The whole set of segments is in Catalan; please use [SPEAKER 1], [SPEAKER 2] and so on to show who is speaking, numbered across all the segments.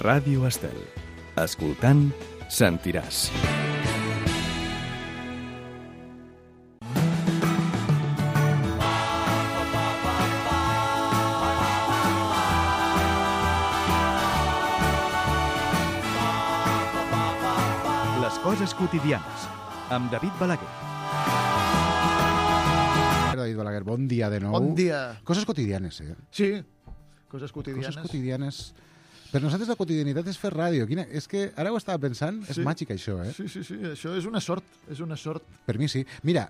[SPEAKER 1] Ràdio Estel. Escoltant, sentiràs. Les coses quotidianes, amb David Balaguer.
[SPEAKER 2] David Balaguer, bon dia de nou.
[SPEAKER 3] Bon dia.
[SPEAKER 2] Coses quotidianes,
[SPEAKER 3] Sí, coses quotidianes.
[SPEAKER 2] Coses quotidianes. Per nosaltres la quotidianitat és fer ràdio. És que ara ho estava pensant, és màgic això, eh?
[SPEAKER 3] Sí, això és una sort,
[SPEAKER 2] Per mi sí. Mira,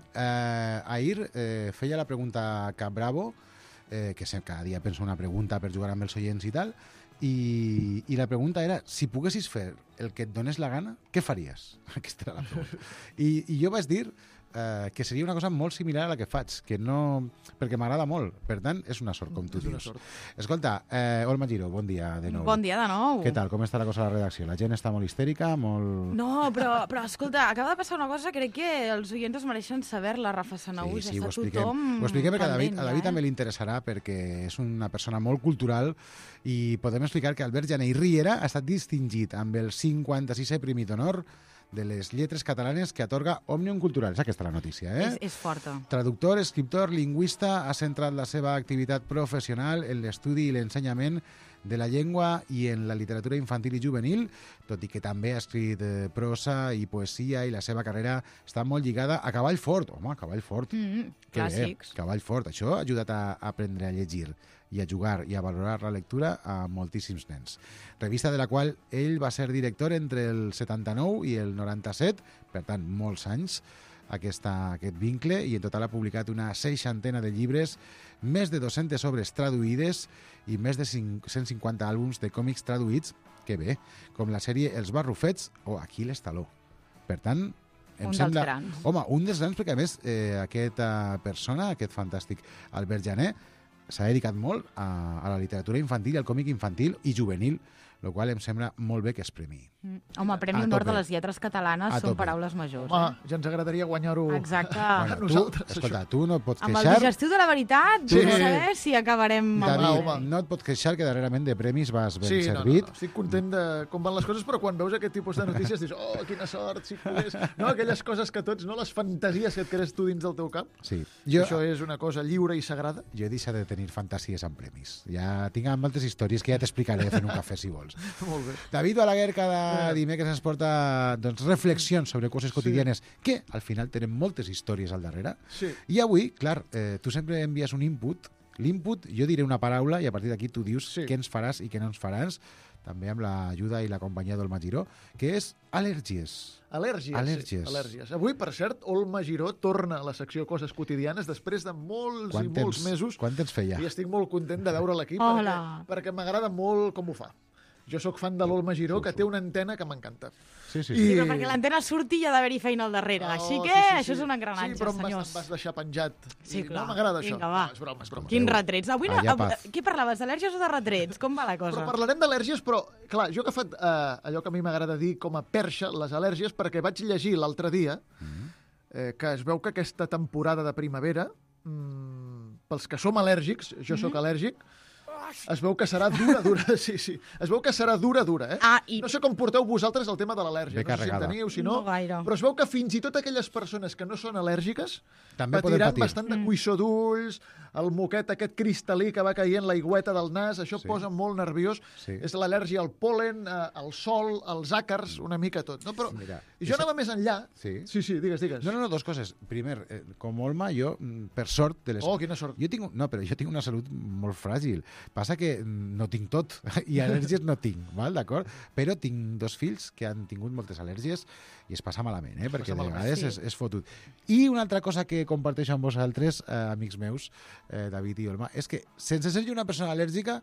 [SPEAKER 2] ahir feia la pregunta Cap Bravo, que cada dia penso una pregunta per jugar amb els oients i tal, i la pregunta era, si poguessis fer el que et donés la gana, què faries? Aquesta era la pregunta. I jo vaig dir que seria una cosa molt similar a la que faig, que no... perquè m'agrada molt. Per tant, és una sort, com tu dius. Escolta, Olma Giró, bon dia de nou.
[SPEAKER 4] Bon dia de nou.
[SPEAKER 2] Què tal? Com està la cosa a la redacció? La gent està molt histèrica, molt...
[SPEAKER 4] No, però escolta, acaba de passar una cosa, crec que els oients es mereixen saber-la, Rafa Sanau.
[SPEAKER 2] Sí, ho expliquem perquè a David també li interessarà, perquè és una persona molt cultural i podem explicar que Albert Jané i Riera ha estat distingit amb el 56è Premi d'Honor de les lletres catalanes que atorga Òmnium Cultural. És aquesta la notícia, eh?
[SPEAKER 4] És forta.
[SPEAKER 2] Traductor, escriptor, lingüista, ha centrat la seva activitat professional en l'estudi i l'ensenyament de la llengua i en la literatura infantil i juvenil, tot i que també ha escrit prosa i poesia, i la seva carrera està molt lligada a Cavall Fort. Home, Cavall Fort.
[SPEAKER 4] Clàssics.
[SPEAKER 2] Cavall Fort. Això ha ajudat a aprendre a llegir i a jugar i a valorar la lectura a moltíssims nens. Revista de la qual ell va ser director entre el 79 i el 97, per tant, molts anys, aquest vincle, i en total ha publicat una 60ena de llibres, més de 200 obres traduïdes i més de 150 àlbums de còmics traduïts, que bé, com la sèrie Els Barrufets o Aquiles Taló. Per tant, em sembla...
[SPEAKER 4] dels grans.
[SPEAKER 2] Home, un dels grans, perquè a més aquesta persona, aquest fantàstic Albert Jané, s'ha dedicat molt a la literatura infantil, al còmic infantil i juvenil, el qual em sembla molt bé que es premi.
[SPEAKER 4] Home, Premi Honor de les Lletres Catalanes són paraules majors.
[SPEAKER 3] Home, ja ens agradaria guanyar-ho
[SPEAKER 4] Exacte.
[SPEAKER 3] a nosaltres.
[SPEAKER 2] Escolta, tu no et pots
[SPEAKER 4] Amb
[SPEAKER 2] queixar...
[SPEAKER 4] el digestiu de la veritat, vull saber si acabarem...
[SPEAKER 2] David, no et pots queixar que darrerament de premis vas ben servit.
[SPEAKER 3] No. Estic content de com van les coses, però quan veus aquest tipus de notícies dius, oh, quina sort, si pogués... No, aquelles coses que tots, no les fantasies que et crees tu dins del teu cap.
[SPEAKER 2] Sí.
[SPEAKER 3] Això és una cosa lliure i sagrada.
[SPEAKER 2] Jo he deixat de tenir fantasies amb premis. Ja tinc moltes històries que ja t'explicaré fent un cafè, si vols.
[SPEAKER 3] Molt bé.
[SPEAKER 2] David Balaguer cada dimecres ens porta reflexions sobre coses quotidianes que al final tenen moltes històries al darrere.
[SPEAKER 3] Sí.
[SPEAKER 2] I avui, clar, tu sempre envies un input. L'input, jo diré una paraula i a partir d'aquí tu dius què ens faràs i què no ens faràs, també amb l'ajuda i la companyia d'Olma Giró, que és al·lèrgies.
[SPEAKER 3] Al·lèrgies. Avui, per cert, Olma Giró torna a la secció Coses quotidianes després de molts mesos.
[SPEAKER 2] Quant temps feia?
[SPEAKER 3] I estic molt content de veure'l aquí perquè m'agrada molt com ho fa. Jo sóc fan de l'Olma Giró, que té una antena que m'encanta.
[SPEAKER 2] Sí.
[SPEAKER 4] Però perquè l'antena surti hi ha d'haver-hi feina al darrere. Així que això és un engranatge, senyors.
[SPEAKER 3] Sí, però em vas deixar penjat.
[SPEAKER 4] Sí, clar.
[SPEAKER 3] No m'agrada això.
[SPEAKER 4] Vinga, va.
[SPEAKER 3] És broma.
[SPEAKER 4] Quins retrets. Avui què parlaves, d'al·lèrgies o de retrets? Com va la cosa?
[SPEAKER 3] Però parlarem d'al·lèrgies, però, clar, jo he agafat allò que a mi m'agrada dir com a perxa, les al·lèrgies, perquè vaig llegir l'altre dia que es veu que aquesta temporada de primavera, pels que som al·lèrgics, jo sóc al·lèrgic, es veu que serà dura. Sí. Es veu que serà dura, eh? No sé com porteu vosaltres el tema de l'al·lèrgia. No sé si en teniu, si no.
[SPEAKER 4] No gaire.
[SPEAKER 3] Però es veu que fins i tot aquelles persones que no són al·lèrgiques
[SPEAKER 2] també
[SPEAKER 3] patiran bastant de cuissó d'ulls, el moquet aquest cristal·lí que va caient, l'aigüeta del nas, això posa molt nerviós.
[SPEAKER 2] Sí.
[SPEAKER 3] És l'al·lèrgia al pol·len, al sol, als àcars, una mica tot. No, però jo anava més enllà.
[SPEAKER 2] Sí,
[SPEAKER 3] digues.
[SPEAKER 2] No, dos coses. Primer, com Olma, jo, per sort...
[SPEAKER 3] quina sort.
[SPEAKER 2] Jo tinc una salut molt fràgil. Passa que no tinc tot, i al·lèrgies no tinc, d'acord? Però tinc dos fills que han tingut moltes al·lèrgies i es passa malament, perquè de vegades és fotut. I una altra cosa que comparteixo amb vosaltres, amics meus, David i Olma, és que sense ser jo una persona al·lèrgica,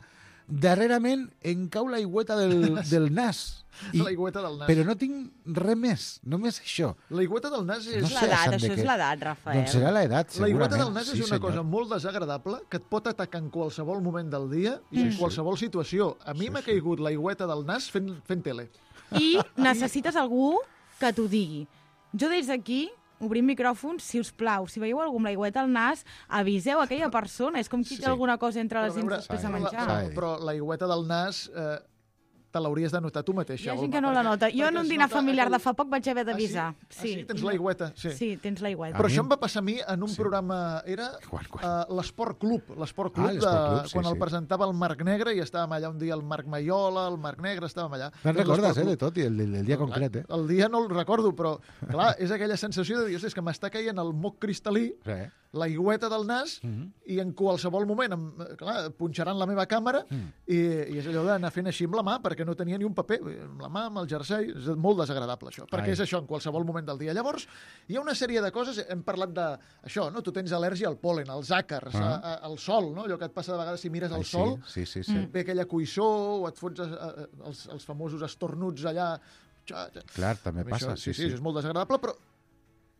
[SPEAKER 2] darrerament em cau l'aigüeta del nas.
[SPEAKER 3] L'aigüeta del nas.
[SPEAKER 2] Però no tinc res més, només això.
[SPEAKER 3] L'aigüeta del nas és...
[SPEAKER 4] Això és l'edat, Rafael.
[SPEAKER 2] Doncs serà l'edat, segurament.
[SPEAKER 3] L'aigüeta del nas és una cosa molt desagradable que et pot atacar en qualsevol moment del dia i en qualsevol situació. A mi m'ha caigut l'aigüeta del nas fent tele.
[SPEAKER 4] I necessites algú que t'ho digui. Jo des d'aquí obrim micròfons, si us plau. Si veieu algú amb l'aigüeta al nas, aviseu aquella persona. És com qui té alguna cosa entre les dents després de menjar.
[SPEAKER 3] Però l'aigüeta del nas... te l'hauries de notar tu mateixa.
[SPEAKER 4] Hi ha gent
[SPEAKER 3] Olga,
[SPEAKER 4] que no la nota. Jo en un dinar familiar de fa poc vaig haver
[SPEAKER 3] Ah,
[SPEAKER 4] d'avisar.
[SPEAKER 3] sí? Tens l'aigüeta?
[SPEAKER 4] Sí, tens l'aigüeta.
[SPEAKER 3] Però això em va passar a mi en un programa... Era l'Esport Club. L'Esport Club,
[SPEAKER 2] l'Esport Club, sí,
[SPEAKER 3] quan el
[SPEAKER 2] sí.
[SPEAKER 3] presentava el Marc Negre, i estàvem allà un dia el Marc Maiola, el Marc Negre, estàvem allà.
[SPEAKER 2] Te'n
[SPEAKER 3] Doncs
[SPEAKER 2] recordes,
[SPEAKER 3] l'Esport
[SPEAKER 2] de
[SPEAKER 3] Club.
[SPEAKER 2] tot, i el dia concret, eh?
[SPEAKER 3] El dia no el recordo, però, clar, és aquella sensació de dir, és que m'està caient el moc cristal·lí,
[SPEAKER 2] Sí.
[SPEAKER 3] l'aigüeta del nas, i en qualsevol moment, clar, punxaran la meva càmera, i és allò d'anar fent així amb la mà, perquè no tenia ni un paper, amb la mà, amb el jersei, és molt desagradable això, perquè és això en qualsevol moment del dia. Llavors, hi ha una sèrie de coses, hem parlat d'això, no? Tu tens al·lèrgia al pol·len, als àcars, al sol, no? Allò que et passa de vegades si mires al sol,
[SPEAKER 2] Sí.
[SPEAKER 3] et ve aquella cuissó, o et fots els famosos estornuts allà.
[SPEAKER 2] Clar, també
[SPEAKER 3] A mi
[SPEAKER 2] passa,
[SPEAKER 3] això,
[SPEAKER 2] sí.
[SPEAKER 3] és molt desagradable, però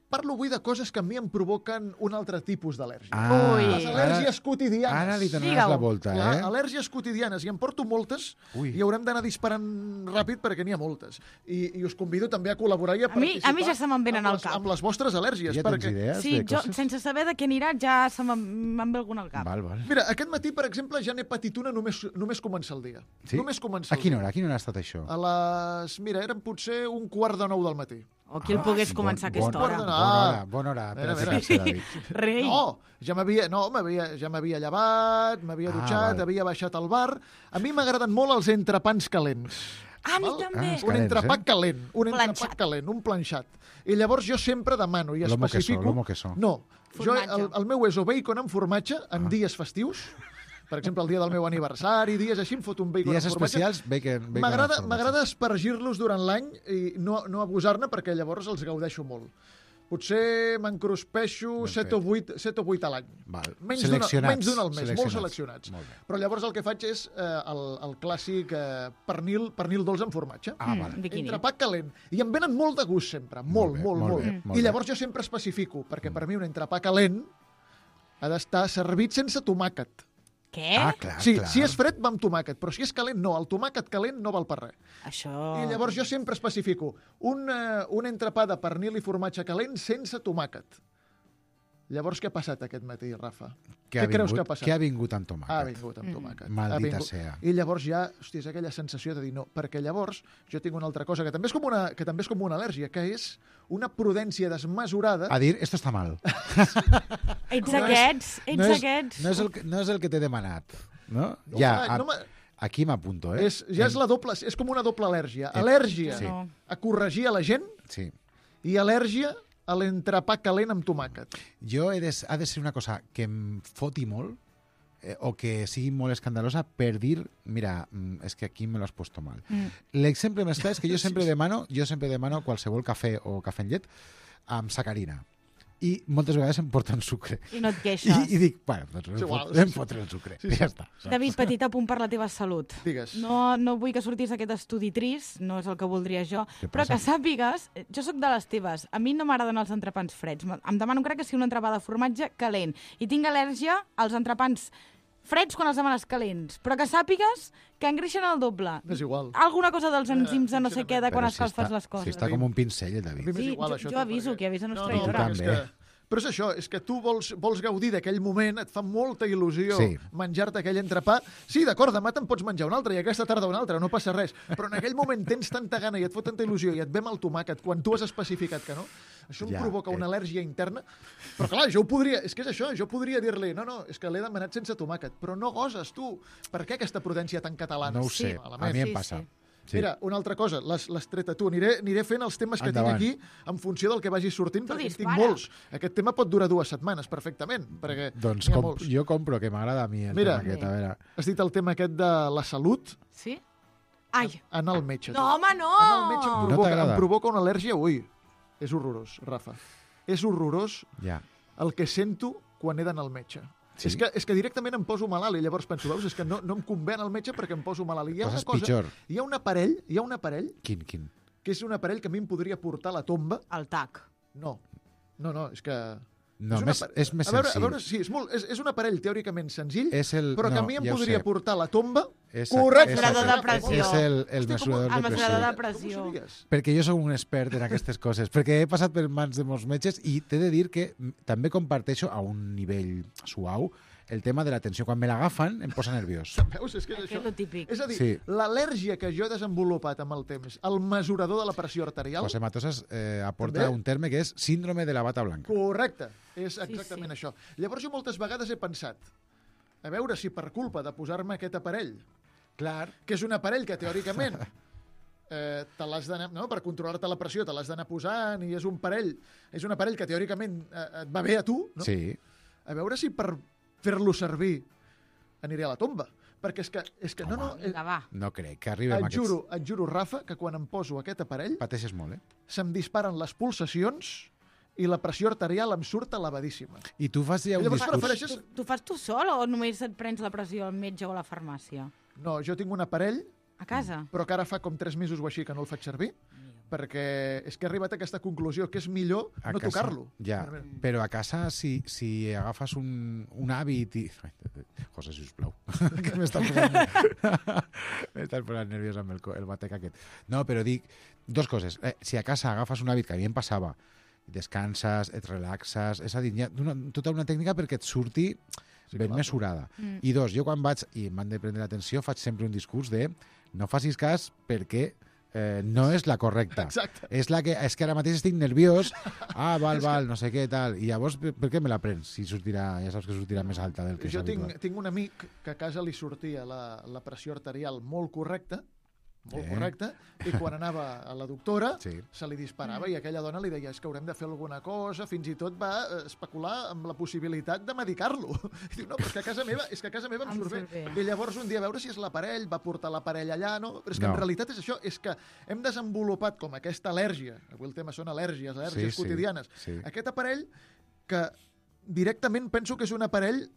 [SPEAKER 3] parlo avui de coses que a mi em provoquen un altre tipus d'al·lèrgia.
[SPEAKER 4] Ui.
[SPEAKER 3] Les al·lèrgies quotidianes.
[SPEAKER 2] Ara li donaràs
[SPEAKER 4] Digue-ho.
[SPEAKER 2] la volta,
[SPEAKER 3] Clar,
[SPEAKER 2] eh?
[SPEAKER 3] al·lèrgies quotidianes, i en porto moltes,
[SPEAKER 2] Ui.
[SPEAKER 3] i haurem d'anar disparant ràpid perquè n'hi ha moltes. I us convido també a col·laborar i a participar.
[SPEAKER 4] A mi ja se me'n venen
[SPEAKER 3] amb
[SPEAKER 4] al
[SPEAKER 3] les-
[SPEAKER 4] cap.
[SPEAKER 3] Amb les vostres al·lèrgies.
[SPEAKER 2] Ja tens
[SPEAKER 3] perquè...
[SPEAKER 2] idees
[SPEAKER 4] Sí,
[SPEAKER 2] de
[SPEAKER 4] jo,
[SPEAKER 2] coses?
[SPEAKER 4] sense saber de què anirà, ja me'n ve algun al cap.
[SPEAKER 2] Val.
[SPEAKER 3] Mira, aquest matí, per exemple, ja n'he patit una només començar el dia.
[SPEAKER 2] Sí?
[SPEAKER 3] Només començar
[SPEAKER 2] A quina hora? A quina hora ha estat això?
[SPEAKER 3] A les... Mira, eren potser 8:45 del matí.
[SPEAKER 4] O qui el pogués començar a aquesta hora.
[SPEAKER 2] Bona hora per a
[SPEAKER 3] Mira.
[SPEAKER 2] ficar-se, David.
[SPEAKER 4] Rei.
[SPEAKER 3] No, ja m'havia llevat, m'havia dutxat,
[SPEAKER 2] val.
[SPEAKER 3] havia baixat al bar. A mi m'agraden molt els entrepans calents.
[SPEAKER 4] A mi
[SPEAKER 3] Val?
[SPEAKER 4] també.
[SPEAKER 2] Els
[SPEAKER 3] Un
[SPEAKER 2] calents,
[SPEAKER 3] entrepà calent, un
[SPEAKER 4] Planxat.
[SPEAKER 3] entrepà calent, un planxat. I llavors jo sempre demano i
[SPEAKER 2] Lomo
[SPEAKER 3] especifico...
[SPEAKER 2] queso.
[SPEAKER 3] No,
[SPEAKER 4] Formatge.
[SPEAKER 3] el meu és o bacon amb formatge en dies festius, per exemple, el dia del meu aniversari, dies així, em foto un bacon
[SPEAKER 2] Dies
[SPEAKER 3] amb formatge.
[SPEAKER 2] especials, bacon
[SPEAKER 3] M'agrada espargir-los durant l'any i no abusar-ne perquè llavors els gaudeixo molt. Potser m'encruspeixo
[SPEAKER 2] Ben
[SPEAKER 3] 7 o 8 a l'any.
[SPEAKER 2] Val.
[SPEAKER 3] Menys
[SPEAKER 2] Seleccionats.
[SPEAKER 3] d'un al mes, molt
[SPEAKER 2] Seleccionats.
[SPEAKER 3] seleccionats.
[SPEAKER 2] Molt bé.
[SPEAKER 3] Però llavors el que faig és el clàssic pernil dolç amb formatge.
[SPEAKER 2] Vale.
[SPEAKER 4] Bikini.
[SPEAKER 3] Entrepà calent. I em venen molt de gust sempre, molt,
[SPEAKER 2] bé,
[SPEAKER 3] molt,
[SPEAKER 2] molt
[SPEAKER 3] molt.
[SPEAKER 2] bé, molt
[SPEAKER 3] I
[SPEAKER 2] bé.
[SPEAKER 3] llavors jo sempre especifico, perquè per mi un entrepà calent ha d'estar servit sense tomàquet.
[SPEAKER 4] Què?
[SPEAKER 2] Clar,
[SPEAKER 3] Sí,
[SPEAKER 2] clar.
[SPEAKER 3] si és fred va amb tomàquet, però si és calent no, el tomàquet calent no val per res.
[SPEAKER 4] Això...
[SPEAKER 3] I llavors jo sempre especifico un entrepà de pernil i formatge calent sense tomàquet. Llavors què ha passat aquest matí, Rafa? Què creus que ha passat?
[SPEAKER 2] Què ha vingut amb tomàquet?
[SPEAKER 3] Ha vingut amb tomàquet.
[SPEAKER 2] Maldita
[SPEAKER 3] Ha vingut.
[SPEAKER 2] sea.
[SPEAKER 3] I llavors ja, hòstia, és aquella sensació de dir no, perquè llavors jo tinc una altra cosa que també és com una al·lèrgia, que és una prudència desmesurada.
[SPEAKER 2] A dir, esto está mal.
[SPEAKER 4] Ets aquests, aquests.
[SPEAKER 2] No és el que t'he demanat. No?
[SPEAKER 3] No,
[SPEAKER 2] Ja,
[SPEAKER 3] no
[SPEAKER 2] aquí m'apunto, eh?
[SPEAKER 3] és com una doble al·lèrgia. Al·lèrgia
[SPEAKER 2] Sí.
[SPEAKER 3] a corregir a la gent
[SPEAKER 2] Sí.
[SPEAKER 3] i al·lèrgia a l'entrepà calent amb tomàquet.
[SPEAKER 2] Jo ha de ser una cosa que em foti molt o que sigui molt escandalosa per dir, mira, és que aquí me lo has puesto mal. L'exemple més clar és que jo sempre demano qualsevol cafè o cafè en llet amb sacarina. I moltes vegades em porten sucre.
[SPEAKER 4] I no et queixes.
[SPEAKER 2] I dic, bueno, doncs
[SPEAKER 3] És igual,
[SPEAKER 2] em fotré el sucre.
[SPEAKER 3] Sí,
[SPEAKER 2] I ja està.
[SPEAKER 4] David, petit apunt per la teva salut.
[SPEAKER 3] Digues.
[SPEAKER 4] No vull que sortis aquest estudi trist, no és el que voldria jo,
[SPEAKER 2] Què
[SPEAKER 4] però
[SPEAKER 2] passa?
[SPEAKER 4] que sàpigues, jo sóc de les teves, a mi no m'agraden els entrepans freds, em demano crec que sigui un entrepà de formatge calent, i tinc al·lèrgia als entrepans freds quan els demanes calents, però que sàpigues que engreixen el doble.
[SPEAKER 3] És igual.
[SPEAKER 4] Alguna cosa dels enzims de no sé què, de quan
[SPEAKER 2] Però
[SPEAKER 4] escalfes les
[SPEAKER 2] Si
[SPEAKER 4] coses.
[SPEAKER 2] està com un pincell,
[SPEAKER 3] A mi
[SPEAKER 2] David.
[SPEAKER 3] m'és
[SPEAKER 4] Sí,
[SPEAKER 3] igual, això,
[SPEAKER 4] jo aviso,
[SPEAKER 3] perquè-
[SPEAKER 4] qui avisa no és
[SPEAKER 3] No,
[SPEAKER 4] traïdora.
[SPEAKER 3] és
[SPEAKER 2] també.
[SPEAKER 3] que... Però és això, és que tu vols gaudir d'aquell moment, et fa molta il·lusió
[SPEAKER 2] Sí.
[SPEAKER 3] menjar-te aquell entrepà. Sí, d'acord, demà te'n pots menjar un altre i aquesta tarda un altre, no passa res. Però en aquell moment tens tanta gana i et fot tanta il·lusió i et ve amb el tomàquet quan tu has especificat que no. Això em
[SPEAKER 2] Ja,
[SPEAKER 3] provoca una al·lèrgia interna. Però clar, jo ho podria... És que és això, jo podria dir-li no, és que l'he demanat sense tomàquet. Però no goses, tu. Per què aquesta prudència tan catalana?
[SPEAKER 2] No ho sé,
[SPEAKER 3] malament.
[SPEAKER 2] a mi em
[SPEAKER 4] Sí,
[SPEAKER 2] passa.
[SPEAKER 4] sí.
[SPEAKER 2] Sí.
[SPEAKER 3] Mira, una altra cosa, l'has tret a tu. Aniré fent els temes que
[SPEAKER 2] Endavant.
[SPEAKER 3] tinc aquí en funció del que vagi sortint,
[SPEAKER 4] Tu
[SPEAKER 3] perquè en tinc
[SPEAKER 4] dispara.
[SPEAKER 3] molts. Aquest tema pot durar 2 setmanes, perfectament, perquè
[SPEAKER 2] Doncs
[SPEAKER 3] n'hi ha molts.
[SPEAKER 2] jo compro, que m'agrada a mi el
[SPEAKER 3] Mira.
[SPEAKER 2] tema aquest. A veure,
[SPEAKER 3] Has dit el tema aquest de la salut,
[SPEAKER 4] Sí? Ai,
[SPEAKER 3] anar al metge.
[SPEAKER 4] no, home, no!
[SPEAKER 3] Anar al metge
[SPEAKER 2] No t'agrada?
[SPEAKER 3] em provoca una al·lèrgia, ui, és horrorós, Rafa. És horrorós
[SPEAKER 2] ja.
[SPEAKER 3] el que sento quan he d'anar al metge.
[SPEAKER 2] Sí?
[SPEAKER 3] És que directament em poso malalt i llavors penso, veus, és que no em convé anar al metge perquè em poso malalt. I hi ha
[SPEAKER 2] Coses
[SPEAKER 3] una cosa,
[SPEAKER 2] pitjor.
[SPEAKER 3] hi ha un aparell
[SPEAKER 2] Quin?
[SPEAKER 3] que és un aparell que a mi em podria portar a la tomba.
[SPEAKER 4] El tac.
[SPEAKER 3] No, és que...
[SPEAKER 2] No,
[SPEAKER 3] un
[SPEAKER 2] més,
[SPEAKER 3] apare-
[SPEAKER 2] és més
[SPEAKER 3] a veure,
[SPEAKER 2] senzill.
[SPEAKER 3] sí, és un aparell teòricament senzill, però que a mi em
[SPEAKER 2] ja ho
[SPEAKER 3] podria
[SPEAKER 2] sé.
[SPEAKER 3] portar a la tomba.
[SPEAKER 2] Exacte,
[SPEAKER 3] Correcte.
[SPEAKER 4] Mesurador de
[SPEAKER 2] exacte.
[SPEAKER 4] pressió.
[SPEAKER 2] És el
[SPEAKER 3] Hosti,
[SPEAKER 2] mesurador
[SPEAKER 4] el
[SPEAKER 2] de
[SPEAKER 4] mesurador de
[SPEAKER 2] pressió.
[SPEAKER 4] pressió.
[SPEAKER 3] Com ho sabies?
[SPEAKER 2] Perquè jo sóc un expert en aquestes coses, perquè he passat per mans de molts metges i t'he de dir que també comparteixo a un nivell suau el tema de la tensió. Quan me l'agafen, em posa nerviós.
[SPEAKER 3] Veus? És que és
[SPEAKER 4] Que
[SPEAKER 3] això.
[SPEAKER 4] és lo típic.
[SPEAKER 3] És a dir,
[SPEAKER 2] Sí.
[SPEAKER 3] l'al·lèrgia que jo he desenvolupat amb el temps, el mesurador de la pressió arterial...
[SPEAKER 2] José Matosas aporta
[SPEAKER 3] També?
[SPEAKER 2] un terme que és síndrome de la bata blanca.
[SPEAKER 3] Correcte, és exactament
[SPEAKER 4] sí.
[SPEAKER 3] això. Llavors jo moltes vegades he pensat, a veure si per culpa de posar-me aquest aparell,
[SPEAKER 2] Clar.
[SPEAKER 3] que és un aparell que teòricament te l'has d'anar, no? Per controlar-te la pressió te l'has d'anar posant i és un aparell que teòricament et va bé a tu, no?
[SPEAKER 2] Sí.
[SPEAKER 3] A veure si per fer-lo servir aniré a la tomba. Perquè és que no,
[SPEAKER 4] Vinga, va.
[SPEAKER 2] No crec que arribem a
[SPEAKER 3] et juro, Rafa, que quan em poso aquest aparell
[SPEAKER 2] Pateixes molt, eh?
[SPEAKER 3] se'm disparen les pulsacions i la pressió arterial em surt elevadíssima.
[SPEAKER 2] I tu fas ja un
[SPEAKER 3] Llavors
[SPEAKER 2] discurs...
[SPEAKER 3] prefereixes...
[SPEAKER 4] Tu fas tu sol o només et prens la pressió al metge o a la farmàcia?
[SPEAKER 3] No, jo tinc un aparell,
[SPEAKER 4] A casa?
[SPEAKER 3] però que ara fa com 3 mesos o així que no el faig servir, perquè és que he arribat a aquesta conclusió, que és millor
[SPEAKER 2] A
[SPEAKER 3] no
[SPEAKER 2] casa,
[SPEAKER 3] tocar-lo.
[SPEAKER 2] Ja, però a casa, si agafes un hàbit i... José, sisplau, que m'estàs posant nerviós amb el batec aquest. No, però dic dos coses. Si a casa agafes un hàbit, que a mi em passava, descanses, et relaxes, és a dir, hi ha tota una tècnica perquè et surti ben mesurada. I dos, jo quan vaig, i m'han de prendre l'atenció, faig sempre un discurs de no facis cas perquè no és la correcta.
[SPEAKER 3] Exacte.
[SPEAKER 2] És que ara mateix estic nerviós, val, no sé què, tal. I llavors, per què me la prens? Si sortirà, ja saps que sortirà més alta del que és
[SPEAKER 3] Jo
[SPEAKER 2] habitual.
[SPEAKER 3] tinc un amic que a casa li sortia la pressió arterial molt correcta, i quan anava a la doctora
[SPEAKER 2] Sí.
[SPEAKER 3] se li disparava i aquella dona li deia és que haurem de fer alguna cosa, fins i tot va especular amb la possibilitat de medicar-lo. I diu, no, però és que a casa meva em surt bé. I llavors un dia a veure si és l'aparell, va portar l'aparell allà, no? Però és que en realitat és això, és que hem desenvolupat com aquesta al·lèrgia, avui el tema són al·lèrgies quotidianes, aquest aparell que directament penso que és un aparell,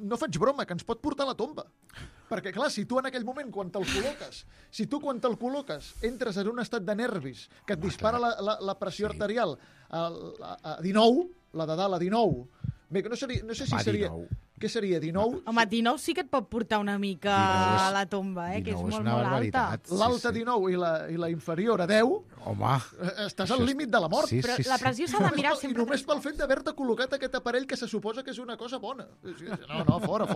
[SPEAKER 3] no faig broma, que ens pot portar a la tomba. Perquè, clar, si tu en aquell moment, quan te'l col·loques, entres en un estat de nervis que et dispara la pressió arterial a 19, la de dalt a 19, bé, no sé si seria...
[SPEAKER 2] 19.
[SPEAKER 3] Què seria, 19?
[SPEAKER 4] Home, 19 sí que et pot portar una mica
[SPEAKER 2] 19
[SPEAKER 4] a la tomba, que és molt,
[SPEAKER 2] una
[SPEAKER 4] molt alta.
[SPEAKER 2] barbaritat.
[SPEAKER 3] L'alta 19 i la inferior a 10,
[SPEAKER 2] Home,
[SPEAKER 3] estàs al límit de la mort.
[SPEAKER 2] sí,
[SPEAKER 4] Però
[SPEAKER 2] sí,
[SPEAKER 4] la
[SPEAKER 2] sí.
[SPEAKER 4] pressió s'ha de mirar
[SPEAKER 3] I
[SPEAKER 4] sempre.
[SPEAKER 3] només pel fet d'haver-te col·locat aquest aparell que se suposa que és una cosa bona. No, fora.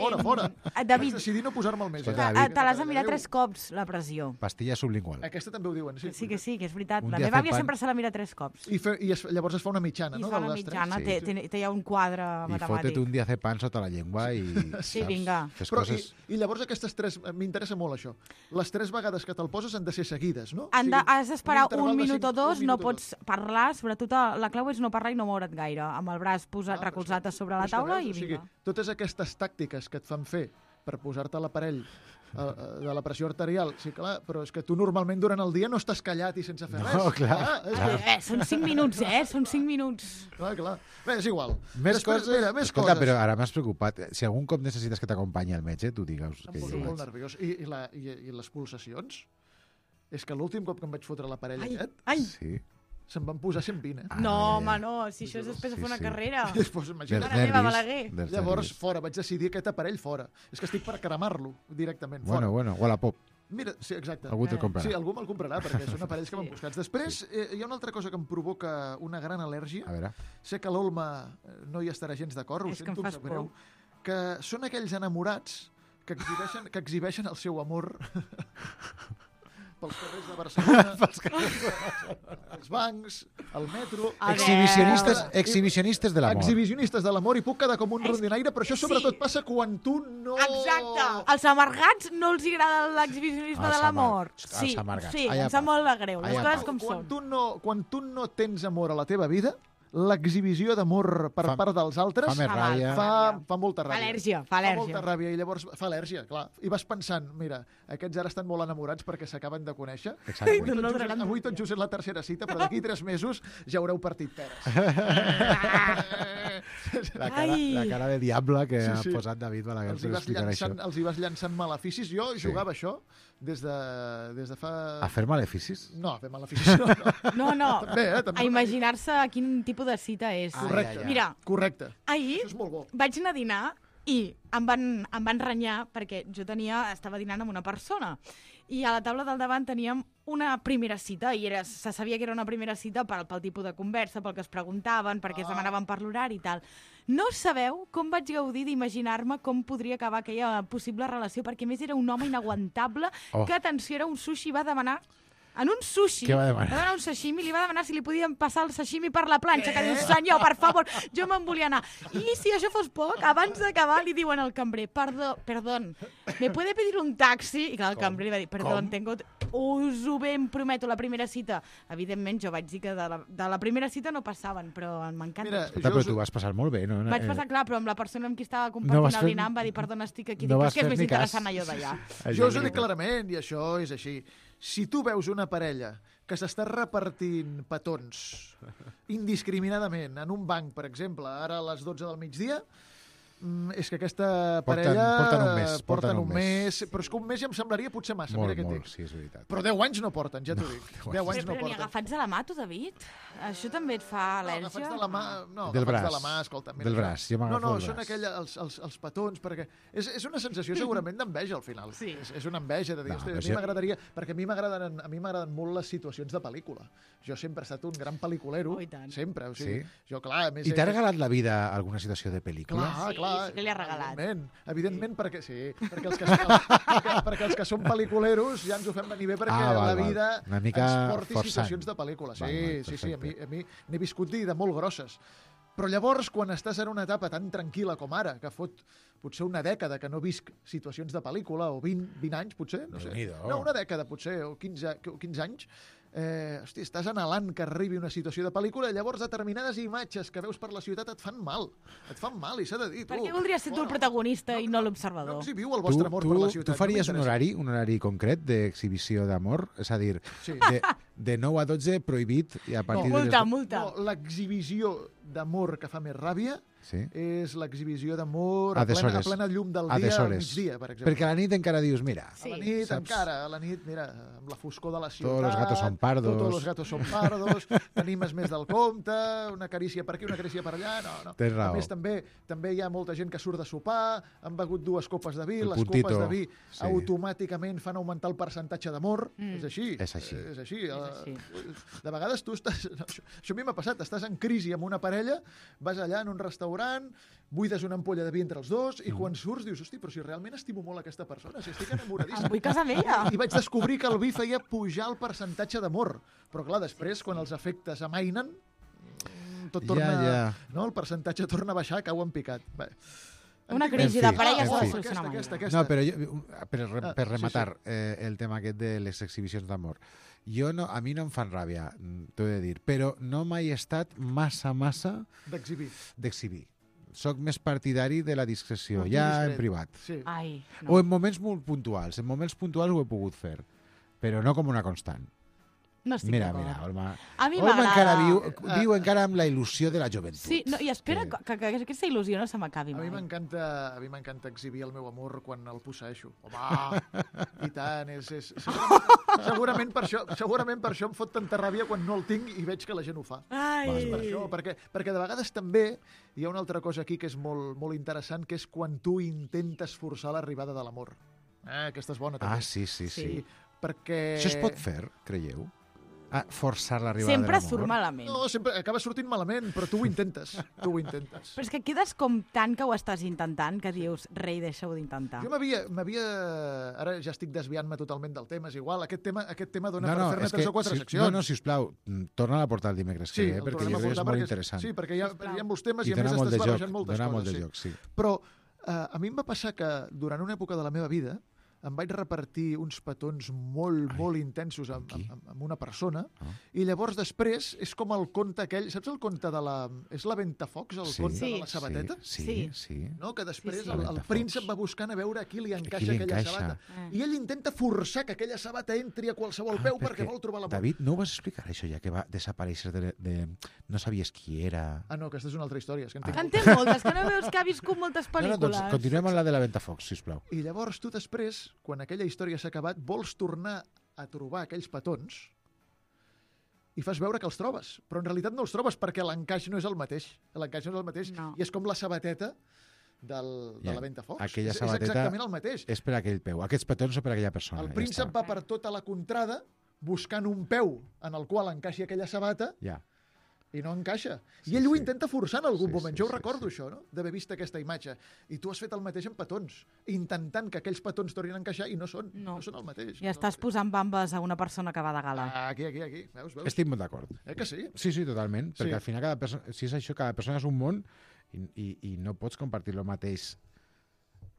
[SPEAKER 4] David,
[SPEAKER 3] Vaig decidir no posar-me'l més.
[SPEAKER 2] Escolta,
[SPEAKER 4] te l'has de mirar 3 cops, la pressió.
[SPEAKER 2] Pastilla sublingual.
[SPEAKER 3] Aquesta també ho diuen, sí.
[SPEAKER 4] Sí, que és veritat.
[SPEAKER 2] Un
[SPEAKER 4] La
[SPEAKER 2] dia
[SPEAKER 4] meva
[SPEAKER 2] fer
[SPEAKER 4] àvia
[SPEAKER 2] pan.
[SPEAKER 4] sempre se la mira 3 cops.
[SPEAKER 3] Llavors es fa una mitjana,
[SPEAKER 4] I
[SPEAKER 3] no?
[SPEAKER 4] fa
[SPEAKER 3] de
[SPEAKER 4] una
[SPEAKER 3] les tres?
[SPEAKER 4] mitjana,
[SPEAKER 2] Sí.
[SPEAKER 4] té ja un quadre
[SPEAKER 2] I
[SPEAKER 4] matemàtic.
[SPEAKER 2] fotet un dia fer pan sota la llengua i...
[SPEAKER 4] Sí, vinga.
[SPEAKER 2] Fes
[SPEAKER 3] Però,
[SPEAKER 2] coses...
[SPEAKER 3] i llavors aquestes tres, m'interessa molt això, les 3 vegades que te'l poses han de ser seguides, no?
[SPEAKER 4] Has d'esperar
[SPEAKER 3] interval
[SPEAKER 4] un
[SPEAKER 3] de
[SPEAKER 4] minut o
[SPEAKER 3] 5,
[SPEAKER 4] dos,
[SPEAKER 3] un
[SPEAKER 4] no
[SPEAKER 3] minut o
[SPEAKER 4] pots parlar, sobretot la clau és no parlar i no moure't gaire, amb el braç posat recolzat a sobre la taula i vinga.
[SPEAKER 3] Totes aquestes tàctiques que et fan fer per posar-te l'aparell de la pressió arterial, sí, clar, però és que tu normalment durant el dia no estàs callat i sense fer res.
[SPEAKER 2] No, clar.
[SPEAKER 4] Són 5 minuts, Són 5 minuts.
[SPEAKER 3] Clar. Bé, és igual.
[SPEAKER 2] Més coses...
[SPEAKER 3] Mira, més
[SPEAKER 2] Escolta,
[SPEAKER 3] coses.
[SPEAKER 2] però ara m'has preocupat. Si algun cop necessites que t'acompanyi el metge, tu digues
[SPEAKER 3] Em
[SPEAKER 2] que
[SPEAKER 3] poso
[SPEAKER 2] jo
[SPEAKER 3] molt
[SPEAKER 2] vaig.
[SPEAKER 3] nerviós. I les pulsacions? És que l'últim cop que em vaig fotre l'aparell aquest,
[SPEAKER 4] Ai,
[SPEAKER 2] Sí.
[SPEAKER 3] se'm van posar 120, eh?
[SPEAKER 4] no,
[SPEAKER 2] ja.
[SPEAKER 4] home, no, si això és després de fer una carrera.
[SPEAKER 3] Després,
[SPEAKER 2] Dels
[SPEAKER 3] imagina't.
[SPEAKER 4] Mare meva,
[SPEAKER 2] nervis.
[SPEAKER 4] Balaguer.
[SPEAKER 2] dels
[SPEAKER 3] Llavors,
[SPEAKER 2] nervis.
[SPEAKER 3] fora, vaig decidir aquest aparell fora. És que estic per cremar-lo directament,
[SPEAKER 2] Bueno,
[SPEAKER 3] fora.
[SPEAKER 2] o a la pop.
[SPEAKER 3] Mira, sí, exacte.
[SPEAKER 2] Algú te'l comprarà.
[SPEAKER 3] Sí, algú me'l comprarà, perquè són aparells que van buscats. Després, hi ha una altra cosa que em provoca una gran al·lèrgia.
[SPEAKER 2] A veure.
[SPEAKER 3] Sé que l'Olma no hi estarà gens d'acord, ho
[SPEAKER 4] És que em
[SPEAKER 3] sento,
[SPEAKER 4] fas
[SPEAKER 3] em sap greu, que són aquells enamorats que exhibeixen el seu amor pels carrers de Barcelona, els bancs, el metro...
[SPEAKER 4] A
[SPEAKER 2] Exhibicionistes de l'amor.
[SPEAKER 3] Exhibicionistes de l'amor, i puc quedar com un rondinaire, però això sobretot passa quan tu no...
[SPEAKER 4] Exacte. Als amargats no els agrada l'exhibicionisme de l'amor.
[SPEAKER 2] Els amargats.
[SPEAKER 4] Sí,
[SPEAKER 2] Allà
[SPEAKER 4] em sap
[SPEAKER 2] pa.
[SPEAKER 4] molt de greu. Les
[SPEAKER 2] Allà
[SPEAKER 4] coses
[SPEAKER 2] pa.
[SPEAKER 4] com són.
[SPEAKER 3] Quan tu no tens amor a la teva vida, l'exhibició d'amor per part dels altres
[SPEAKER 2] Fa més ràbia.
[SPEAKER 3] fa molta ràbia.
[SPEAKER 4] Al·lèrgia, fa
[SPEAKER 3] Fa
[SPEAKER 4] al·lèrgia.
[SPEAKER 3] molta ràbia i llavors fa al·lèrgia, clar. I vas pensant, mira, aquests ara estan molt enamorats perquè s'acaben de conèixer.
[SPEAKER 2] Exacte.
[SPEAKER 3] Avui tot just és la tercera cita, però d'aquí 3 mesos ja haureu partit peres.
[SPEAKER 2] La cara de diable que
[SPEAKER 3] Sí,
[SPEAKER 2] ha
[SPEAKER 3] sí.
[SPEAKER 2] posat David Balaguer
[SPEAKER 3] Els hi
[SPEAKER 2] per
[SPEAKER 3] vas
[SPEAKER 2] explicar això.
[SPEAKER 3] llançant maleficis. Jo jugava això des de fa...
[SPEAKER 2] A fer maleficis?
[SPEAKER 3] No, a fer maleficis no.
[SPEAKER 4] No.
[SPEAKER 3] També, també.
[SPEAKER 4] A imaginar-se quin tipus de cita és.
[SPEAKER 3] Correcte.
[SPEAKER 4] Mira,
[SPEAKER 3] Correcte.
[SPEAKER 4] ahir
[SPEAKER 3] Això és molt bo.
[SPEAKER 4] vaig anar a dinar I em van renyar perquè jo estava dinant amb una persona i a la taula del davant teníem una primera cita i se sabia que era una primera cita pel tipus de conversa, pel que es preguntaven, perquè es demanaven per l'horari i tal. No sabeu com vaig gaudir d'imaginar-me com podria acabar aquella possible relació, perquè a més era un home inaguantable que, atenció, era un sushi, va demanar en un sushi,
[SPEAKER 2] Què va demanar?
[SPEAKER 4] Va demanar un sashimi, li va demanar si li podien passar el sashimi per la planxa, que diu, senyor, per favor, jo me'n volia anar. I si això fos poc, abans d'acabar li diuen al cambrer, perdón, ¿me puede pedir un taxi? I clar, el cambrer li va dir, perdón, us ho ben prometo, la primera cita. Evidentment, jo vaig dir que de la primera cita no passaven, però m'encanta.
[SPEAKER 2] Però tu vas passar molt bé, no?
[SPEAKER 4] Vaig passar, clar, però amb la persona amb qui estava compartint el dinar em va dir, perdona, estic aquí, però és que és més interessant allò d'allà.
[SPEAKER 3] Jo us ho dic clarament, i això és així. Si tu veus una parella que s'està repartint petons indiscriminadament en un banc, per exemple, ara a les 12 del migdia, és que aquesta parella
[SPEAKER 2] porten un mes.
[SPEAKER 3] però és que un mes ja em semblaria potser massa.
[SPEAKER 2] Molt, sí, és veritat.
[SPEAKER 3] Però 10 anys no porten, ja t'ho dic. 10 anys no
[SPEAKER 4] Però ni
[SPEAKER 3] porten.
[SPEAKER 4] agafats de la mà, tu, David? Això també et fa al·lèrgia?
[SPEAKER 3] No, agafats de la mà... No,
[SPEAKER 2] del braç.
[SPEAKER 3] de la mà, escolta. Mira,
[SPEAKER 2] del braç, jo m'agafo del braç.
[SPEAKER 3] Són els petons, perquè és una sensació segurament d'enveja al final.
[SPEAKER 4] Sí.
[SPEAKER 3] És una enveja de dir, a mi m'agradaria... Perquè a mi m'agraden molt les situacions de pel·lícula. Jo sempre he estat un gran pel·liculero. Sempre. O sigui, jo, clar,
[SPEAKER 2] I t'ha regalat la vida alguna situació de pel·lícula?
[SPEAKER 3] Clar.
[SPEAKER 4] Sí que li ha regalat.
[SPEAKER 3] Evidentment, perquè els que són pel·liculeros ja ens ho fem venir bé perquè la vida ens porti situacions de pel·lícula. Sí, a mi n'he viscut de molt grosses. Però llavors, quan estàs en una etapa tan tranquil·la com ara, que fot potser una dècada que no visc situacions de pel·lícula, o 20 anys, potser, no sé. No, una dècada, potser, o 15 anys, estàs anhelant que arribi una situació de pel·lícula i llavors determinades imatges que veus per la ciutat et fan mal, i s'ha de dir.
[SPEAKER 4] Per què voldries ser tu el protagonista i no l'observador?
[SPEAKER 3] No exhibiu el vostre amor per la ciutat.
[SPEAKER 2] Tu faries un horari concret d'exhibició d'amor? És a dir, de 9 a 12 prohibit i a partir de...
[SPEAKER 4] Multa.
[SPEAKER 3] No, l'exhibició d'amor que fa més ràbia és l'exhibició d'amor a plena llum del dia, al migdia, per exemple.
[SPEAKER 2] Perquè a la nit encara dius, mira...
[SPEAKER 3] A la nit, mira, amb la foscor de la ciutat...
[SPEAKER 2] Todos los gatos son pardos.
[SPEAKER 3] Todos los gatos son pardos, t'animes més del compte, una carícia per aquí, una carícia per allà... No.
[SPEAKER 2] Tens raó.
[SPEAKER 3] A més, també hi ha molta gent que surt de sopar, han begut 2 copes de vi, les copes de vi automàticament fan augmentar el percentatge d'amor. És així.
[SPEAKER 2] És així.
[SPEAKER 3] De vegades tu estàs... Això a mi m'ha passat, estàs en crisi amb una parella, vas allà en un restaurant, buides una ampolla de vi entre els dos i quan surts dius, hosti, però si realment estimo molt aquesta persona, si estic enamoradíssim.
[SPEAKER 4] Em vull casar amb ella.
[SPEAKER 3] I vaig descobrir que el vi feia pujar el percentatge d'amor. Però clar, després, quan els efectes amainen, tot torna... No? El percentatge torna a baixar, cau en picat. Bé.
[SPEAKER 4] Una crisi de parella s'ha de solucionar mai.
[SPEAKER 2] No, però per rematar el tema aquest de les exhibicions d'amor. A mi no em fan ràbia, t'ho he de dir, però no mai he estat massa d'exhibir. Soc més partidari de la discreció, ja en privat. O en moments molt puntuals. En moments puntuals ho he pogut fer, però no com una constant.
[SPEAKER 4] No estic
[SPEAKER 2] Mira, Olma.
[SPEAKER 4] A mi m'agrada.
[SPEAKER 2] Viu encara amb la il·lusió de la joventut.
[SPEAKER 4] Sí, i espera que aquesta il·lusió no se m'acabi mai.
[SPEAKER 3] A mi m'encanta exhibir el meu amor quan el posseeixo. Home, i tant. Segurament per això em fot tanta ràbia quan no el tinc i veig que la gent ho fa. És per això, perquè de vegades també hi ha una altra cosa aquí que és molt, molt interessant, que és quan tu intentes forçar l'arribada de l'amor. Aquesta és bona, també.
[SPEAKER 2] Sí.
[SPEAKER 3] Perquè...
[SPEAKER 2] Això es pot fer, creieu? Forçar l'arribada de l'amor.
[SPEAKER 4] Sempre surt malament.
[SPEAKER 3] No, sempre acaba sortint malament, però tu ho intentes.
[SPEAKER 4] Però és que quedes com tant que ho estàs intentant que dius, rei, deixa-ho d'intentar.
[SPEAKER 3] Jo m'havia... Ara ja estic desviant-me totalment del tema, és igual. Aquest tema dona per fer-ne 3 o 4 seccions.
[SPEAKER 2] No, sisplau, torna a portar el dimecres que ve, perquè jo crec que és molt interessant.
[SPEAKER 3] Sí, perquè hi ha molts temes i a més estàs barrejant moltes coses.
[SPEAKER 2] Molt de joc, sí.
[SPEAKER 3] Però a mi em va passar que durant una època de la meva vida em vaig repartir uns petons molt intensos amb una persona i llavors després és com el conte aquell, saps el conte de la... És la Ventafocs, el conte de la sabateta?
[SPEAKER 2] Sí.
[SPEAKER 3] No? Que després el príncep va buscant a veure a qui li encaixa aquella sabata. I ell intenta forçar que aquella sabata entri a qualsevol peu perquè vol trobar l'amor.
[SPEAKER 2] David, no ho vas explicar, això, ja que va desaparèixer de... No sabies qui era...
[SPEAKER 3] No, aquesta és una altra història.
[SPEAKER 4] En té moltes, que no veus que ha viscut moltes pel·lícules.
[SPEAKER 2] Doncs continuem amb la de la Ventafocs, sisplau.
[SPEAKER 3] I llavors tu després, quan aquella història s'ha acabat, vols tornar a trobar aquells petons i fas veure que els trobes. Però en realitat no els trobes perquè l'encaix no és el mateix. I és com la sabateta de
[SPEAKER 2] Ja,
[SPEAKER 3] la Ventafocs.
[SPEAKER 2] aquella
[SPEAKER 3] És
[SPEAKER 2] sabateta
[SPEAKER 3] exactament el mateix.
[SPEAKER 2] És per aquell peu. Aquests petons són per aquella persona.
[SPEAKER 3] El
[SPEAKER 2] ja
[SPEAKER 3] príncep
[SPEAKER 2] està.
[SPEAKER 3] va per tota la contrada buscant un peu en el qual encaixi aquella sabata
[SPEAKER 2] Ja.
[SPEAKER 3] i no encaixa.
[SPEAKER 2] Sí,
[SPEAKER 3] I ell ho
[SPEAKER 2] sí.
[SPEAKER 3] intenta forçar en algun
[SPEAKER 2] Sí,
[SPEAKER 3] moment.
[SPEAKER 2] sí,
[SPEAKER 3] Jo ho
[SPEAKER 2] sí,
[SPEAKER 3] recordo,
[SPEAKER 2] sí.
[SPEAKER 3] això, no? D'haver vist aquesta imatge. I tu has fet el mateix amb petons, intentant que aquells petons tornin a encaixar i no són el mateix.
[SPEAKER 4] Ja estàs posant bambes a una persona que va de gala.
[SPEAKER 3] Aquí. Veus?
[SPEAKER 2] Estic molt d'acord.
[SPEAKER 3] Que sí?
[SPEAKER 2] Sí, totalment.
[SPEAKER 3] Sí.
[SPEAKER 2] Perquè al final, cada persona, si és això, cada persona és un món i no pots compartir el mateix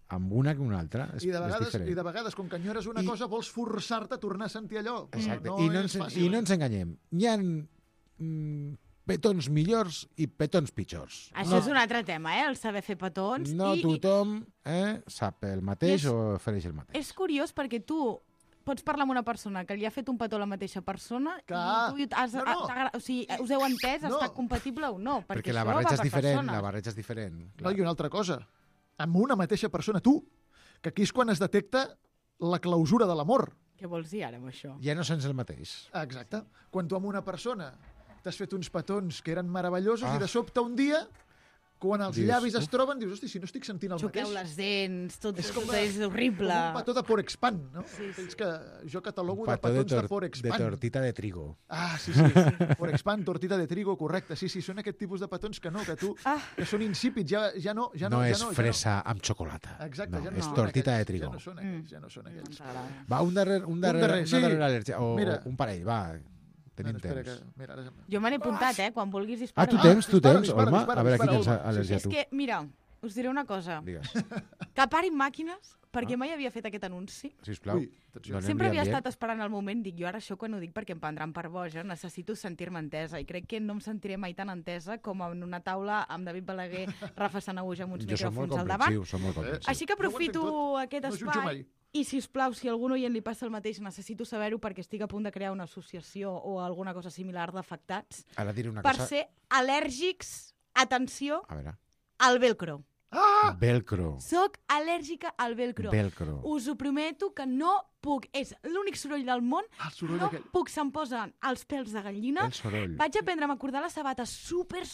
[SPEAKER 2] amb una que una altra. És diferent.
[SPEAKER 3] I de vegades, com que enyores una cosa, vols forçar-te a tornar a sentir allò.
[SPEAKER 2] Exacte.
[SPEAKER 3] No
[SPEAKER 2] I no
[SPEAKER 3] és
[SPEAKER 2] ens,
[SPEAKER 3] fàcil.
[SPEAKER 2] I no ens enganyem. Hi ha petons millors i petons pitjors.
[SPEAKER 4] Això és un altre tema, el saber fer petons.
[SPEAKER 2] No tothom sap el mateix
[SPEAKER 4] I
[SPEAKER 2] o ofereix el mateix.
[SPEAKER 4] És curiós perquè tu pots parlar amb una persona que li ha fet un petó a la mateixa persona
[SPEAKER 3] Clar.
[SPEAKER 4] i tu has,
[SPEAKER 3] No.
[SPEAKER 4] o sigui, us heu entès,
[SPEAKER 3] No.
[SPEAKER 4] està compatible o no?
[SPEAKER 2] Perquè la
[SPEAKER 4] això
[SPEAKER 2] barreja
[SPEAKER 4] va
[SPEAKER 2] és
[SPEAKER 4] per
[SPEAKER 2] diferent.
[SPEAKER 4] persones.
[SPEAKER 2] La barreja és diferent.
[SPEAKER 3] No,
[SPEAKER 2] Clar.
[SPEAKER 3] i una altra cosa. Amb una mateixa persona, tu, que aquí és quan es detecta la clausura de l'amor.
[SPEAKER 4] Què vols dir ara amb això?
[SPEAKER 2] Ja no sents el mateix.
[SPEAKER 3] Exacte. Quan tu amb una persona t'has fet uns petons que eren meravellosos i de
[SPEAKER 2] Ah.
[SPEAKER 3] sobte un dia, quan els
[SPEAKER 2] Dius,
[SPEAKER 3] llavis es
[SPEAKER 2] uf.
[SPEAKER 3] troben, dius, hosti, si no estic sentint el
[SPEAKER 4] Xoqueu
[SPEAKER 3] mateix.
[SPEAKER 4] les dents, tot
[SPEAKER 3] És com
[SPEAKER 4] és horrible.
[SPEAKER 3] Com un petó de Forexpan, no?
[SPEAKER 4] Sí, sí.
[SPEAKER 3] Aquells que jo catalogo
[SPEAKER 2] Un
[SPEAKER 3] de
[SPEAKER 2] petó
[SPEAKER 3] petons de
[SPEAKER 2] de
[SPEAKER 3] Forexpan.
[SPEAKER 2] tortita de trigo.
[SPEAKER 3] Ah, sí. Forexpan, tortita de trigo, correcte. Sí, són aquest tipus de petons que no, que tu, que són insípids, ja no.
[SPEAKER 2] No és fresa amb xocolata.
[SPEAKER 3] Exacte,
[SPEAKER 2] no,
[SPEAKER 3] ja no
[SPEAKER 2] és
[SPEAKER 3] són
[SPEAKER 2] tortita
[SPEAKER 3] aquells,
[SPEAKER 2] de trigo.
[SPEAKER 3] Ja no són aquells, ja no són aquells.
[SPEAKER 4] Ens agrada.
[SPEAKER 2] Va, un darrer
[SPEAKER 3] sí.
[SPEAKER 2] una darrera al·lèrgia. O
[SPEAKER 3] Mira.
[SPEAKER 2] un parell, va. Tenim
[SPEAKER 3] Espera
[SPEAKER 2] temps.
[SPEAKER 3] mira, ara...
[SPEAKER 4] Jo me n'he apuntat, quan vulguis
[SPEAKER 2] Ah,
[SPEAKER 4] disparo.
[SPEAKER 2] tu tens,
[SPEAKER 3] dispara,
[SPEAKER 2] Olma?
[SPEAKER 3] dispara,
[SPEAKER 2] A veure qui
[SPEAKER 3] dispara,
[SPEAKER 2] tens
[SPEAKER 3] Olma.
[SPEAKER 2] al·lèrgia
[SPEAKER 4] És
[SPEAKER 2] tu.
[SPEAKER 4] que, mira, us diré una cosa.
[SPEAKER 2] Digues,
[SPEAKER 4] Que parin màquines, perquè mai havia fet aquest anunci.
[SPEAKER 2] sisplau.
[SPEAKER 3] Ui, atenció.
[SPEAKER 2] Donem-li
[SPEAKER 4] Sempre havia
[SPEAKER 2] ambient.
[SPEAKER 4] estat esperant el moment, dic, jo ara això quan ho dic perquè em prendran per boja, necessito sentir-me entesa, i crec que no em sentiré mai tan entesa com en una taula amb David Balaguer, Rafa Sanahuja amb uns
[SPEAKER 2] Jo som molt
[SPEAKER 4] micròfons al davant.
[SPEAKER 2] comprensiu, som molt comprensiu.
[SPEAKER 4] Així que aprofito
[SPEAKER 3] Jo ho entenc tot.
[SPEAKER 4] aquest
[SPEAKER 3] No jutjo
[SPEAKER 4] espai
[SPEAKER 3] mai.
[SPEAKER 4] i, si us plau, si a algun oient li passa el mateix, necessito saber-ho perquè estic a punt de crear una associació o alguna cosa similar d'afectats
[SPEAKER 2] Ara diré una
[SPEAKER 4] per
[SPEAKER 2] cosa.
[SPEAKER 4] ser al·lèrgics, atenció,
[SPEAKER 2] A veure.
[SPEAKER 4] al velcro.
[SPEAKER 2] Velcro.
[SPEAKER 4] Soc al·lèrgica al velcro.
[SPEAKER 2] Velcro.
[SPEAKER 4] Us ho prometo que no puc. És l'únic soroll del món.
[SPEAKER 3] El soroll
[SPEAKER 4] No
[SPEAKER 3] aquell.
[SPEAKER 4] puc, se'm posen els pèls de gallina.
[SPEAKER 2] El soroll.
[SPEAKER 4] Vaig aprendre a m'acordar la sabata super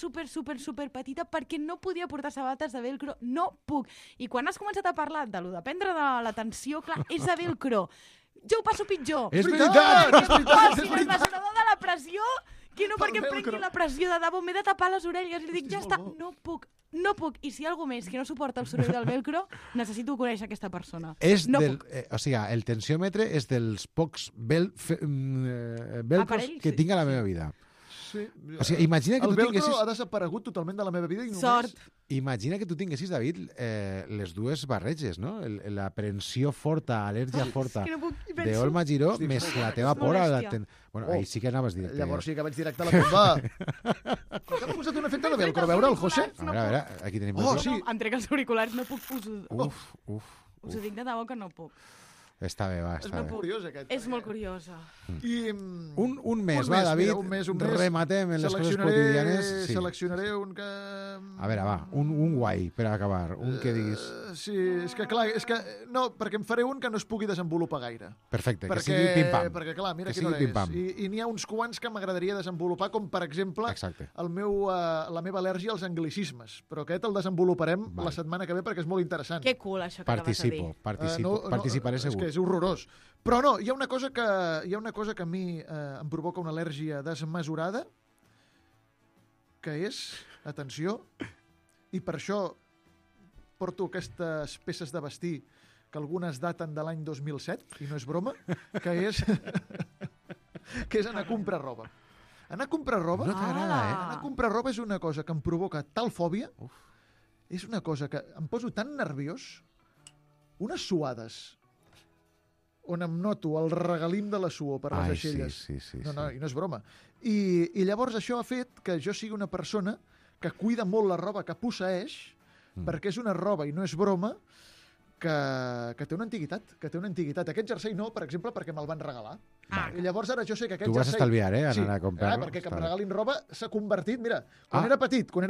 [SPEAKER 4] petita perquè no podia portar sabates de velcro. No puc. I quan has començat a parlar de lo de prendre de l'atenció, clar, és de velcro. Jo ho passo pitjor.
[SPEAKER 2] És
[SPEAKER 3] veritat!
[SPEAKER 2] veritat!
[SPEAKER 3] És veritat, és
[SPEAKER 4] Si
[SPEAKER 3] veritat.
[SPEAKER 4] mesurador de la pressió, que no
[SPEAKER 3] Pel
[SPEAKER 4] perquè em
[SPEAKER 3] velcro.
[SPEAKER 4] prengui la pressió de debò, m'he de tapar les orelles. Li dic,
[SPEAKER 3] Hosti,
[SPEAKER 4] ja
[SPEAKER 3] és
[SPEAKER 4] està,
[SPEAKER 3] molt bo.
[SPEAKER 4] no puc. I si algú més que no suporta el soroll del velcro, necessito conèixer aquesta persona.
[SPEAKER 2] És
[SPEAKER 4] no
[SPEAKER 2] del,
[SPEAKER 4] puc.
[SPEAKER 2] o sigui, el tensiòmetre és dels pocs velcros
[SPEAKER 4] Aparells,
[SPEAKER 2] que
[SPEAKER 4] sí.
[SPEAKER 2] tinc a la meva vida.
[SPEAKER 3] Sí.
[SPEAKER 2] O sigui, imagina que
[SPEAKER 3] El
[SPEAKER 2] tu
[SPEAKER 3] velcro
[SPEAKER 2] tinguessis...
[SPEAKER 3] ha desaparegut totalment de la meva vida i només...
[SPEAKER 4] Sort.
[SPEAKER 2] Imagina que tu tinguessis, David, les dues barreges, no? L'aprensió forta, al·lèrgia forta
[SPEAKER 4] que no puc, i penso-
[SPEAKER 2] d'Olma Giró,
[SPEAKER 3] Hosti,
[SPEAKER 2] més
[SPEAKER 3] és
[SPEAKER 2] la
[SPEAKER 3] molt
[SPEAKER 2] teva
[SPEAKER 4] bèstia.
[SPEAKER 2] por a la...
[SPEAKER 4] És molèstia.
[SPEAKER 2] Bueno,
[SPEAKER 3] Oh.
[SPEAKER 2] ahí sí que anaves directe.
[SPEAKER 3] Llavors sí que vaig directe a la tomba. Com que m'ha posat un efecte de velcro, a veure el José?
[SPEAKER 2] A veure, aquí tenim...
[SPEAKER 3] Oh,
[SPEAKER 2] velcro.
[SPEAKER 3] sí.
[SPEAKER 4] No, em trec els auriculars, no puc.
[SPEAKER 2] Uf.
[SPEAKER 4] Us ho dic de debò que no puc.
[SPEAKER 2] Està bé, va,
[SPEAKER 3] És
[SPEAKER 2] està
[SPEAKER 3] molt
[SPEAKER 2] bé.
[SPEAKER 3] curiós, aquest.
[SPEAKER 4] És molt curiosa.
[SPEAKER 3] I,
[SPEAKER 2] Un mes, va, David.
[SPEAKER 3] Mira, un mes.
[SPEAKER 2] Rematem en les coses quotidianes. Sí.
[SPEAKER 3] Seleccionaré un que...
[SPEAKER 2] A veure, va, un guai per acabar. Un que diguis...
[SPEAKER 3] Sí, és que clar, no, perquè em faré un que no es pugui desenvolupar gaire.
[SPEAKER 2] Perfecte, que sigui pim-pam.
[SPEAKER 3] Perquè clar, mira
[SPEAKER 2] Que
[SPEAKER 3] quina hora
[SPEAKER 2] sigui
[SPEAKER 3] és.
[SPEAKER 2] pim-pam.
[SPEAKER 3] I n'hi ha uns quants que m'agradaria desenvolupar, com per exemple
[SPEAKER 2] Exacte.
[SPEAKER 3] la meva al·lèrgia als anglicismes. Però aquest el desenvoluparem
[SPEAKER 2] Val.
[SPEAKER 3] la setmana que ve perquè és molt interessant.
[SPEAKER 4] Que cool, això que acabes de dir.
[SPEAKER 2] Participaré
[SPEAKER 3] És
[SPEAKER 2] segur.
[SPEAKER 3] que és horrorós. Però no, hi ha una cosa que a mi em provoca una al·lèrgia desmesurada, que és, atenció, i per això porto aquestes peces de vestir que algunes daten de l'any 2007, i no és broma, que és anar a comprar roba. Anar a comprar roba...
[SPEAKER 2] No t'agrada,
[SPEAKER 3] Anar a comprar roba és una cosa que em provoca tal fòbia, és una cosa que em poso tan nerviós, unes suades on em noto el regalim de la suor per les
[SPEAKER 2] Ai,
[SPEAKER 3] aixelles.
[SPEAKER 2] sí.
[SPEAKER 3] No, i no és broma. I llavors això ha fet que jo sigui una persona que cuida molt la roba que posseeix, perquè és una roba, i no és broma, que té una antiguitat, Aquest jersei no, per exemple, perquè me'l van regalar. I llavors ara jo sé que aquest
[SPEAKER 2] Tu vas
[SPEAKER 3] jersei...
[SPEAKER 2] estalviar, anar a comprar-lo.
[SPEAKER 3] perquè que em
[SPEAKER 2] Està bé.
[SPEAKER 3] regalin roba s'ha convertit... Mira, quan era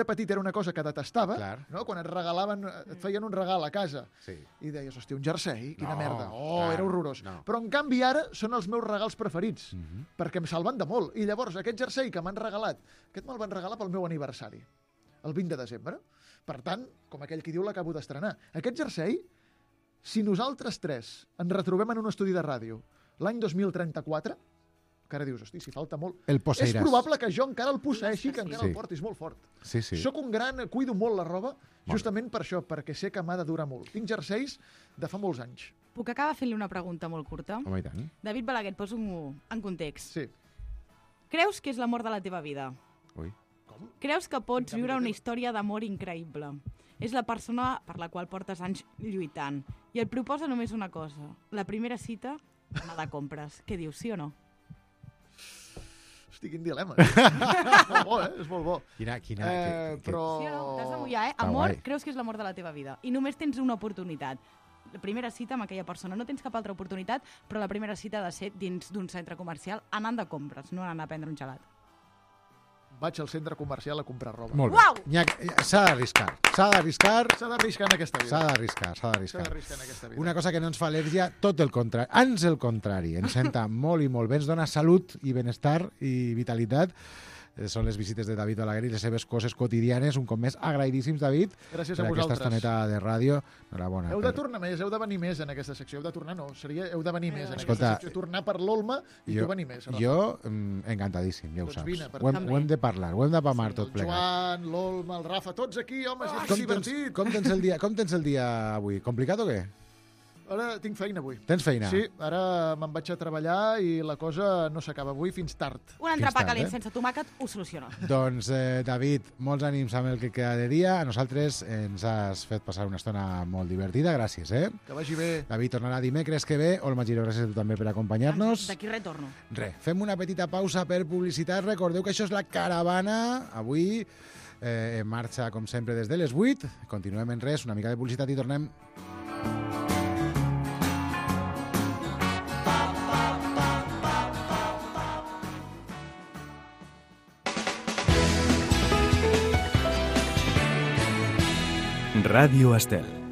[SPEAKER 3] petit era una cosa que detestava,
[SPEAKER 2] Clar.
[SPEAKER 3] no? Quan et regalaven, et feien un regal a casa,
[SPEAKER 2] Sí.
[SPEAKER 3] i deies, hòstia, un jersei, quina
[SPEAKER 2] No,
[SPEAKER 3] merda.
[SPEAKER 2] clar,
[SPEAKER 3] Era horrorós.
[SPEAKER 2] no.
[SPEAKER 3] Però en canvi ara són els meus regals preferits, perquè em salven de molt. I llavors aquest jersei que m'han regalat, aquest me'l van regalar pel meu aniversari, el 20 de desembre. Per tant, com aquell qui diu, l'acabo d'estrenar. Aquest jersei, si nosaltres tres ens retrobem en un estudi de ràdio l'any 2034, que ara dius, hosti, si falta molt...
[SPEAKER 2] El posseiràs.
[SPEAKER 3] És probable que jo encara el posseeixi, que encara
[SPEAKER 2] Sí.
[SPEAKER 3] el porti, és molt fort.
[SPEAKER 2] Sí, sí.
[SPEAKER 3] Soc un gran... Cuido molt la roba, justament per això, perquè sé que m'ha de durar molt. Tinc jerseis de fa molts anys.
[SPEAKER 4] Puc acabar fent-li una pregunta molt curta?
[SPEAKER 2] Home, i tant.
[SPEAKER 4] David Balaguer, et poso en context.
[SPEAKER 3] Sí.
[SPEAKER 4] Creus que és l'amor de la teva vida?
[SPEAKER 2] Ui.
[SPEAKER 3] Com?
[SPEAKER 4] Creus que pots
[SPEAKER 3] En canvi,
[SPEAKER 4] viure una
[SPEAKER 3] teva.
[SPEAKER 4] història d'amor increïble? És la persona per la qual portes anys lluitant. I et proposa només una cosa. La primera cita, anar de compres. Què dius, sí o no?
[SPEAKER 3] Hosti, quin dilema. És molt bo, És molt bo. Però...
[SPEAKER 4] Sí o no? T'has de mullar,
[SPEAKER 2] Està
[SPEAKER 4] Amor,
[SPEAKER 2] guai.
[SPEAKER 4] creus que és l'amor de la teva vida. I només tens una oportunitat. La primera cita amb aquella persona. No tens cap altra oportunitat, però la primera cita ha de ser dins d'un centre comercial anant de compres, no anant a prendre un gelat.
[SPEAKER 3] Vaig al centre comercial a comprar roba.
[SPEAKER 2] Molt bé.
[SPEAKER 4] Uau!
[SPEAKER 2] S'ha d'arriscar. S'ha d'arriscar.
[SPEAKER 3] S'ha d'arriscar en aquesta vida.
[SPEAKER 2] S'ha d'arriscar. S'ha
[SPEAKER 3] S'ha
[SPEAKER 2] d'arriscar.
[SPEAKER 3] d'arriscar en aquesta vida.
[SPEAKER 2] Una cosa que no ens fa al·lèrgia, tot el contrari. Ans el contrari. Ens senta molt i molt bé. Ens dona salut i benestar i vitalitat. Són les visites de David Balaguer i les seves coses quotidianes. Un cop més, agraïdíssims, David,
[SPEAKER 3] Gràcies
[SPEAKER 2] per
[SPEAKER 3] a
[SPEAKER 2] aquesta
[SPEAKER 3] vosaltres.
[SPEAKER 2] estoneta de ràdio. Enhorabona.
[SPEAKER 3] Heu de tornar més, heu de venir més en aquesta secció. Heu de tornar, no, seria heu de venir més en
[SPEAKER 2] Escolta,
[SPEAKER 3] aquesta secció. Tornar per l'Olma i tu venir més. Rafa.
[SPEAKER 2] Jo, encantadíssim, ja ho
[SPEAKER 3] Doncs
[SPEAKER 2] saps.
[SPEAKER 3] vine, per
[SPEAKER 2] Ho
[SPEAKER 3] mi.
[SPEAKER 2] hem de parlar, ho hem de pamar tot
[SPEAKER 3] El
[SPEAKER 2] plegat.
[SPEAKER 3] Joan, l'Olma, el Rafa, tots aquí, home, és divertit.
[SPEAKER 2] Com tens el dia avui? Complicat o què?
[SPEAKER 3] Ara tinc feina avui.
[SPEAKER 2] Tens feina?
[SPEAKER 3] Sí, ara me'n vaig a treballar i la cosa no s'acaba avui fins tard.
[SPEAKER 4] Un entrepà
[SPEAKER 2] tard,
[SPEAKER 4] calent
[SPEAKER 2] eh?
[SPEAKER 4] sense tomàquet ho soluciona.
[SPEAKER 2] Doncs, David, molts ànims amb el que queda de dia. A nosaltres ens has fet passar una estona molt divertida. Gràcies,
[SPEAKER 3] Que vagi bé.
[SPEAKER 2] David tornarà dimecres que ve. Olma Giró, gràcies a tu també per acompanyar-nos.
[SPEAKER 4] D'aquí retorno.
[SPEAKER 2] Fem una petita pausa per publicitat. Recordeu que això és la caravana. Avui en marxa, com sempre, des de les 8. Continuem en res, una mica de publicitat i tornem.
[SPEAKER 1] Ràdio Estel.